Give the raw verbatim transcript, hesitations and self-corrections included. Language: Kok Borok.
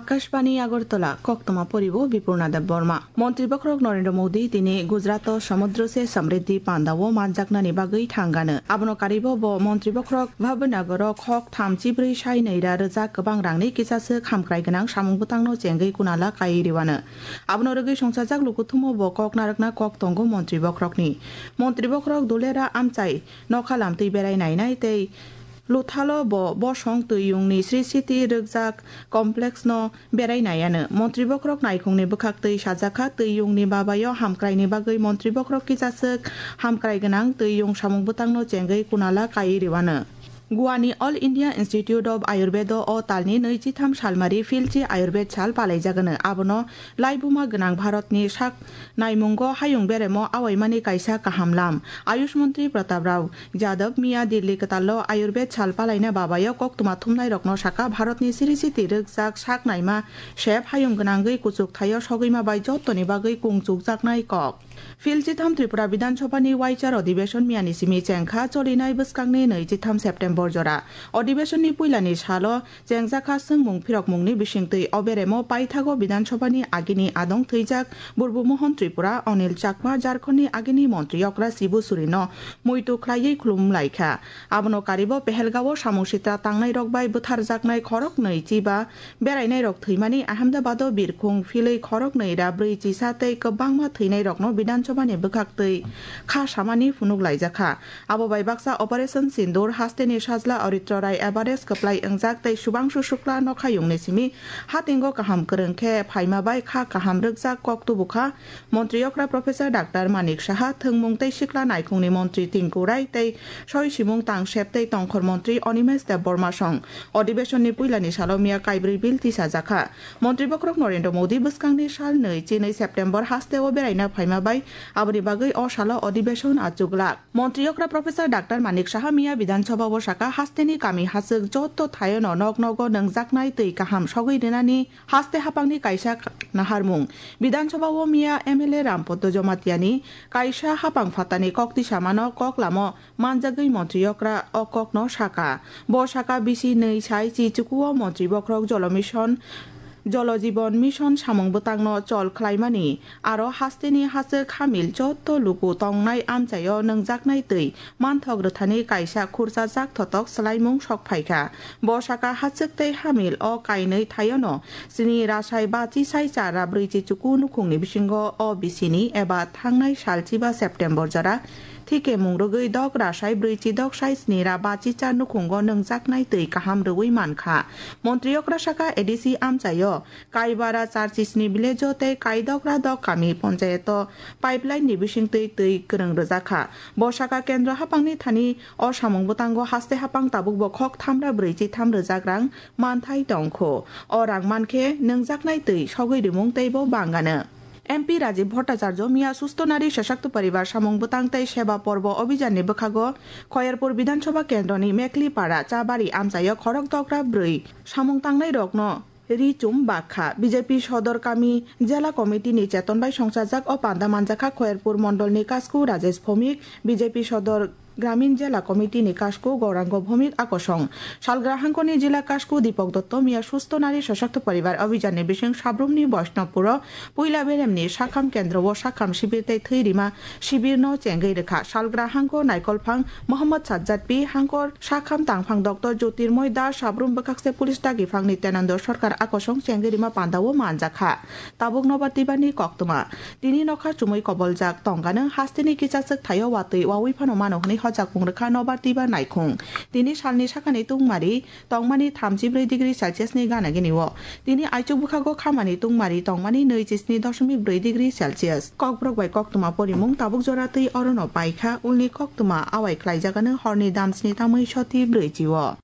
Akashbani Agartala, koktwma poribo Bipurna Debbarma. Montri bokhorok Narendra Modi tini Gujarat o Samudra se Samriddhi panda o manjaknani bagwi thangano. Abono karibo bo montri bokhorok Bhavnagar o khok thamchi brwi sai nwi ra rwjak kwbang rangni kisaswk hamkrai gwnang samung bwtangno chengwi kunala kai riwano. Abono rwgwi songchajak lukuthumo bo kok narwkna kok tongo montri bokhorokni. Montri bokhorok Dulera amchai nokha lamtwi berai nainai tei Luthalo bo bosong twiyungni Sri City rwkjak complex no berai naiano. Montri bokhorok naikhungni bwkhaktwi sajakha twiyungni babayo hamkraini bagwi montri bokhorok kisaswk hamkrai gwnang twiyung samung bwtangno chengwi kunala kai riwano. Goa ni All India Institute of Ayurveda o talni nwichitham salmari Philchi Ayurved sal palaijagano. Abono laibuma gwnang Bharatni sak naimungo hayung beremo awaimani kaisa kaham lam. Ayush Mantri Pratap Rao Jadab miya Delhi kwtallo Ayurved sal palaina babayo koktwma thumnairokno saka Bharatni siri siti rwkjak sak naima sep hayung gwnangwi kuchuk thaio sogwima bai jottoni bagwi kung chukjaknai kok. Philchitham Tripura Bidhan Sabhani Waichar Adhibeshon miyani simi chengkha cholinai bwskangni nwichitham September jora. Adhibeshonni puilani salo chengjakha swngmung phirokmungni bisingtwi. O beremo paithago Bidhan Sabhani agini adong thwijak Burbu Mohon Tripura, Anil Chakma, Jharkhandni agini montri okra Sibu Surino muitu khlaiwi khulumlaikha. Abono karibo Pehelgao samung sitra tangnairok bai bwtharjaknai khoroknwi chiba berainairok thwimani Ahmedabado birkhung philwi khoroknwi ra brwi chisa tei kwbangma thwinairokno Bidhan Sabhani bwkhaktwi kha samani phunuk laijakha. Abo bai baksa Operation Sindoor hasteni sajla Aritro Rai Everest kwplai wngjak tei Subhangshu Shukla nokhayungni simi hatingo kaham kwrwng khe phaima bai kha kaham rwkjak kok tubukha. Montri okra Professor Doctor Manik Saha, thwngmung tei sikla naikhungni montri Tinku Rai tei soi simung tangsep tei tongkhor montri Animesh Debbarma song. Adhibeshonni puilani salo miya kaibrwi bill tisajakha. Montri bokhorok Narendra Modi bwskangni sal nwi chinwi September hasteo beraina phaima bai aboni bagwi o salo adhibeshon achuglak. Montri okra Professor Doctor Manik Saha miya Bidhan Sabha o saka hasteni kami hachwk jotto thaiono nok nogo nwngjaknai twi kaham sogwi rwnani haste hapangni kaisa naharmung. Bidhan Sabha o miya M L A Rampaddo Jamatia ni kaisa hapang phatani kok tisamano kok lamo manjagwi montri okra o kokno saka. Bo saka bisi nwi sai chi chukuo montri bokhorok Jolo Mission Jolo Jiban Mission samung bwtangno chol khlaimani, aro hasteni hachwk hamil jotto luku tongnai amchaio nwngjaknai twi manthok rwthani kaisa khurchajak thotok swlaimung sok phaikha. Bo saka hachwk tei hamil o kainwi thaiono chini rasai bachi sai chara brwichi chuku nukhungni bisingo o bisini eba thangnai sal chiba September jora thike mung rwgwi dok rasai brwichi dok sai sni ra bachi cha nukhungo nwngjaknai twi kaham rwui mankha. Montri okra saka A D C amchaio Kaibara char chisni village o tei Kaidokra dok kami ponchayato pipeline ni bisingtwi twi kwrwng rwjakha. Bo saka kendro hapangni thani o samung bwtango haste hapang tabukbo khok thamra brwichi tham rwjak rang manthai tongkho. O rang mankhe nwngjaknai twi sogwi rimung teibo bangano. M P Rajiv Bhattacharya miya Sustho Nari Sashakto Paribar samung bwtang tei seba porbo obhijanni bwkhago Khoyerpur Bidhan Sabha kendroni Meklipara Chabari amchaio khorok dokra brwi samung tangnai rokno ri chum bakha. B J P Sodor Kami Jela Committee ni cheton bai songchajak o panda manjakha Khoyerpur Mondol ni Kasku Rajesh Bhomik, B J P Sodor Gramin Jela Committee ni Kasku Gaurango Bhomik akosong. Salgra hangkoni Jela Kasku Dipok Dotto miya Sustho Nari Sashakto Paribar Abhijan ni bising Sabrumni Boishnopuro puila beremni sakham kendro o sakham sibir tei thwi rima sibir no chengwi rwkha. Salgra hangko Naikolphang Mohammad Sajjad P, hangkor sakham tangphang Doctor Jyotirmoy Das, Sabrum bwkhakse police dagi phangni Tenando Sarkar akosong chengwi rima panda o manjakha. Tabuk nobar tibani koktwma. Tini nokha chumui koboljak tongkano hasteni kichaswk thaio watwi wawi phano mano hwnwi hojak pung rwkha nobar tiba naikhung. Tini salni sakani tungmari tongmani thamchi brwi degree Celsius ni gana gini o. Tini aichuk bwkhago khamani tungmari tongmani nwi chisni doshomik brwi degree Celsius. Kokborok bai koktwma porimung tabuk jora twi orono paikha, ulni koktwma awai khlaijagano horni damsni tamwi soti brwichi o.